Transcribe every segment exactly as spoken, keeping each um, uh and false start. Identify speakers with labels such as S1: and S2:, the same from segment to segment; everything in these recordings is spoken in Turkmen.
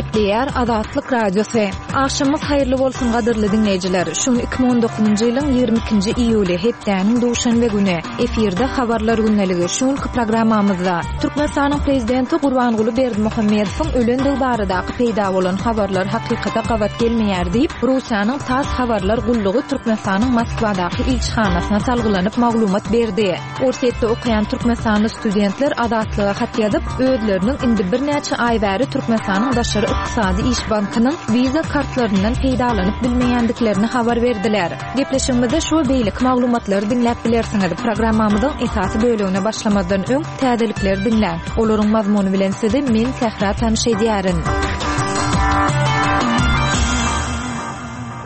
S1: Gepleýär Azatlyk Radiosy. Agşamyňyz haýyrly bolsun gadyrly diňleýjiler. Şu gün iki müň on dokuzynjy ýylyň ýigrimi ikinji iýuly, hepdäniň duşenbe güni. Efirde habarlar gündeligi. Şu günki programmamyzda Türkmenistanyň Prezidenti Gurbanguly Berdimuhamedowyň ölendigi baradaky peýda bolan habarlar hakykata gabat gelmeýär diýip, Russiýanyň TASS habarlar gullugy Türkmenistanyň Moskwadaky ilçihanasyna salgylanyp maglumat berdi. Orsýetde okaýan türkmenistanly studentler Azatlyga hat ýazyp, özleriniň indi birnäçe aý bäri Türkmenistanyň Daşary ykdysady iş bankynyň Visa kartlaryndan peýdalanyp bilmeýändiklerini habar berdiler. Gepleşigimizde şu we beýleki maglumatlary diňläp bilersiňiz. Programmamyzyň esasy bölegine başlamazdan öň täzelikleri diňläň. Olaryň mazmuny bilen sizi men Sähra tanyş edýärin.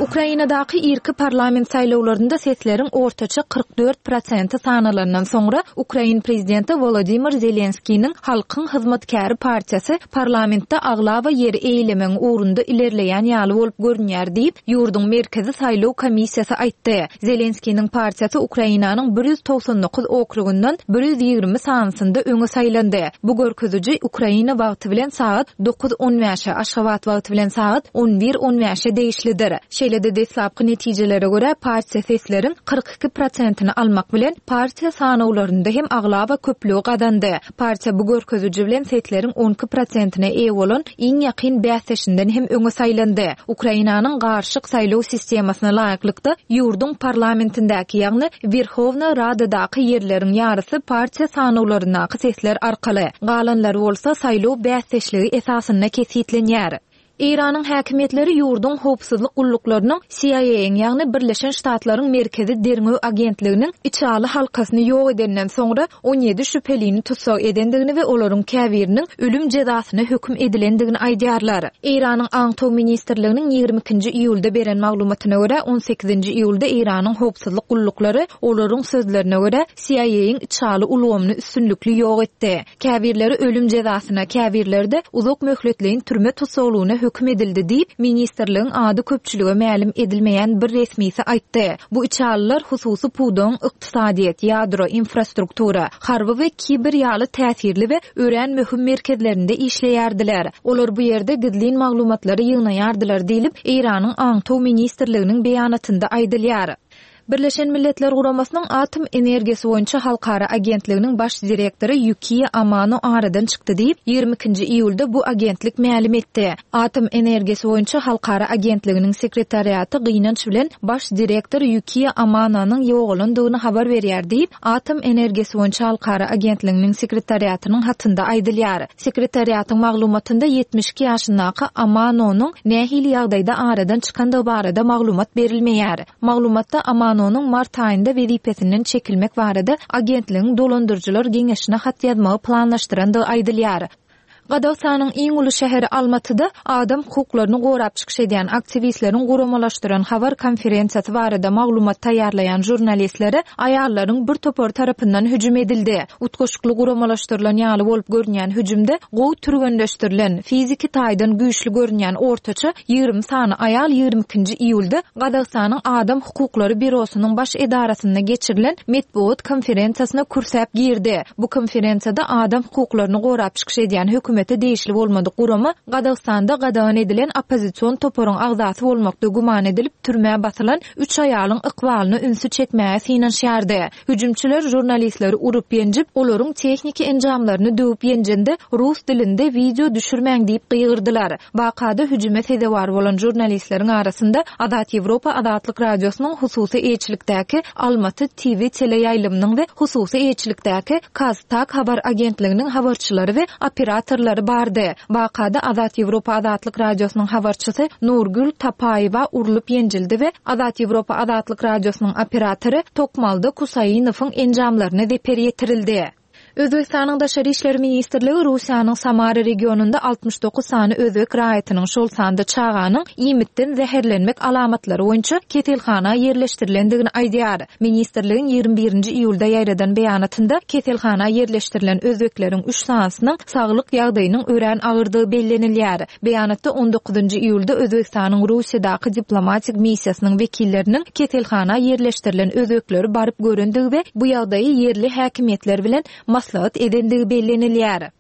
S1: Ukrainadaky irki parlament saýlawlarynda sesleriň ortaça kyrk dört prosenti sanalandan soňra Ukrain prezidenti Wolodymyr Zelenskiniň Halkyň hyzmatkäri partiýasy parlamentde aglaba ýeri eýelemegiň ugrunda ilerleýän ýaly bolup görünýär diýip, ýurduň Merkezi saýlaw komissiýasy aýtdy. Zelenskiniň partiýasy Ukrainanyň bir ýüz togsan dokuz okrugyndan bir ýüz ýigrimi sanysynda öňe saýlandy. Bu görkeziji Ukraina wagty bilen sagat dokuz on bäşe, Aşgabat wagty bilen sagat on bir on bäşe degişlidir. Şeýle-de deslapky netijelere görä partiýa sesleriň kyrk iki prosentini almak bilen partiýa sanawlarynda hem aglaba köplügi gazandy. Partiýa bu görkeziji bilen sesleriň on iki prosentine eýe bolan iň ýakyn bäsdeşinden hem öňe saýlandy. Ukrainanyň garyşyk saýlaw sistemasyna laýyklykda ýurduň parlamentindäki, ýagny Werhowna Radadaky ýerleriň ýarysy partiýa sanawlaryndaky sesler arkaly, galanlary bolsa saýlaw bäsdeşligi esasynda kesgitlenýär. Eýranyň häkimiýetleri ýurduň howpsuzlyk gulluklarynyň C I A-iň, ýagny Birleşen Ştatlaryň Merkezi Derňew Agentliginiň içaly halkasyny ýok edenden soňra on ýedi şübhelini tussag edendigini we olaryň käbiriniň ölüm jezasyna höküm edilendigini aýdýarlar. Eýranyň Aňtaw ministrliginiň ýigrimi ikinji iýulda beren maglumatyna görä on sekizinji iýulda Eýranyň howpsuzlyk gulluklary olaryň sözlerine görä C I A-iň içaly ulgamyny üstünlikli ýok etdi. Käbirleri ölüm jezasyna, käbirleri de uzak möhletleýin türme tussaglygyna höküm edildi diýip, ministrligiň ady köpçülige mälim edilmeýän bir resmisi aýtdy. Bu içalylar hususy pudagyň ykdysadyýet, ýadro, infrastruktura, harby we kiber ýaly täsirli we örän möhüm merkezlerinde işleýärdiler. Olar bu ýerde gizlin maglumatlary ýygnaýardylar diýlip, Eýranyň Aňtaw ministrliginiň beýanatynda aýdylýar. Birleşen Milletler Guramasynyň Atom energiýasy boýunça halkara agentliginiň baş direktory Ýukiýa Amano aradan çykdy diýip, ýigrimi ikinji iýulda bu agentlik mälim etdi. Atom energiýasy boýunça halkara agentliginiň sekretariaty gynanç bilen baş direktor Ýukiýa Amanonyň ýogalandygyny habar berýär diýip, Atom energiýasy boýunça halkara agentliginiň sekretariatynyň hatynda aýdylýar. Sekretariatyň maglumatynda ýetmiş iki ýaşyndaky Amanonyň nähili ýagdaýda aradan çykandygy barada maglumat berilmeýär. Maglumatda Amanonyň mart aýynda wezipesinden çekilmek barada agentligiň dolandyryjylar geňeşine hat ýazmagy planlaşdyrandygy aýdylýar. Gazagystanyň iň uly şäheri Almatyda adam hukuklaryny gorap çykyş edýän aktiwistleriň guramalaşdyran habar konferensiýasy barada maglumat taýýarlaýan žurnalistlere aýallaryň bir topary tarapyndan hüjüm edildi. Utgaşykly guramalaşdyrylan ýaly bolup görünýän hüjümde gowy türgenleşdirilen, fiziki taýdan güýçli görünýän ortaça ýigrimi sany aýal ýigrimi ikinji iýulda Gazagystanyň Adam hukuklary bürosynyň baş edarasynda geçirilen metbugat konferensiýasyna kürsäp girdi. Bu konferensiýada adam hukuklaryny gorap çykyş edýän hökümet degişli bolmadyk gurama Gazagystanda gadagan edilen oppozision toparyň agzasy bolmakda güman edilip türmä basylan üç aýalyň ykbalyny ünsi çekmäge synanyşýardy. Hüjümçiler žurnalistleri urup ýenjip, olaryň tehniki enjamlaryny döwüp ýenjende rus dilinde video düşürmäň diýip gygyrdylar. Wakada hüjüme sezewar bolan žurnalistleriň arasynda Azat Ýewropa Azatlyk Radiosynyň hususy eýeçilikdäki Almaty T V teleýaýlymynyň we hususy eýeçilikdäki Kaztak habar agentliginiň habarçylary we operatorlary bardy. Wakada Azat Ýewropa Azatlyk Radiosynyň habarçysy Nurgül Tapaýewa urlup ýenjildi we Azat Ýewropa Azatlyk Radiosynyň operatory Tokmalda Kusaýinowyň enjamlaryna zeper ýetirildi. Özbekistanyň Daşary İşler Ministrligi Russiýanyň Samara regionynda altmyş dokuz sany özbek raýatynyň şol sanda çaganyň iýmitden zäherlenmek alamatlary boýunça keselhana ýerleşdirilendigini aýdýar. Ministrligiň ýigrimi birinji iýulda ýaýradan beýanatynda keselhana ýerleşdirilen özbekleriň üç sanysynyň saglyk ýagdaýynyň örän agyrdygy bellenilýär. Beýanatda on dokuzynjy iýulda Özbekistanyň Russiýadaky diplomatik missiýasynyň wekilleriniň keselhana ýerleşdirilen özbekleri baryp görendigi we bu ýagdaýy ýerli häkimiýetler bilen maslahat edendigi bellenilýär.